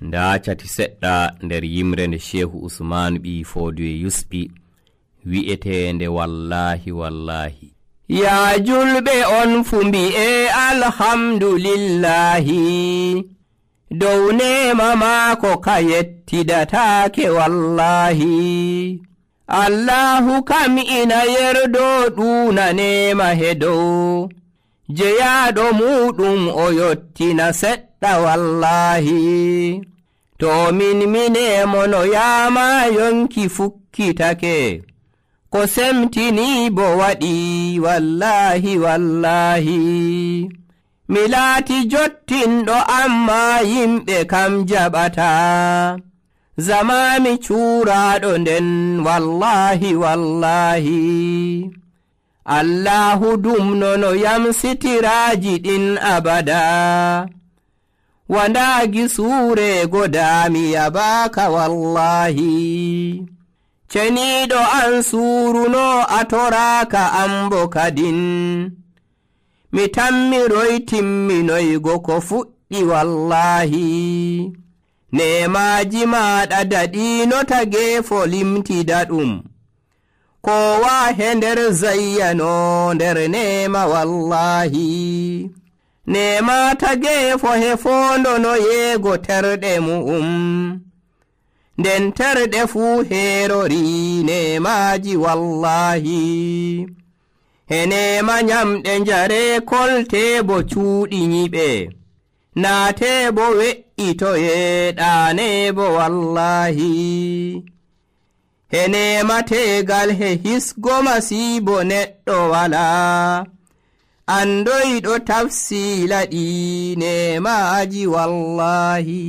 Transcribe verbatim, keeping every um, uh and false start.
nda cati seɗɗa nder yimre nde Shehu Usman ɓi Fodiyo yusɓi wi'etende wallahi wallahi. Ya julɓe on fu mbi'e alhamdulillahi, dow nema maako ka yettidataake wallahi. Allahu kam ina yerdo ɗuna nema hedow, jeyaɗo muɗum o yottina seɗɗa wallahi. To min minemo no yama yonki fukkitake, ko semtini bo waɗi wallahi wallahi. Mi laati jottinɗo amma yimɓe kam jaɓata, zamami cuuraɗo nden wallahi wallahi. Allahu dumnono yam sitiraaji ɗin abada, wandaagi suure godami yabaka wallahi. Ceniɗo an suuruno atoraka ambo kadin, mi tammiroy timminoygo ko fuɗɗi wallahi. Nemaji maɗa daɗino tagefo limtida ɗum, kowa he nder zayyano nder nema wallahi. Nema tagefo he fondono yeego terɗe mu'um, nden terɗe fuu herori nemaji wallahi. He nema nyamɗe njare kolte bo cuuɗi nyiɓe, naate bo we'itoye ɗane bo wallahi. He nema tegal he hisgo masibo neɗɗo wala, andoyɗo tafsila ɗi nemaji wallahi.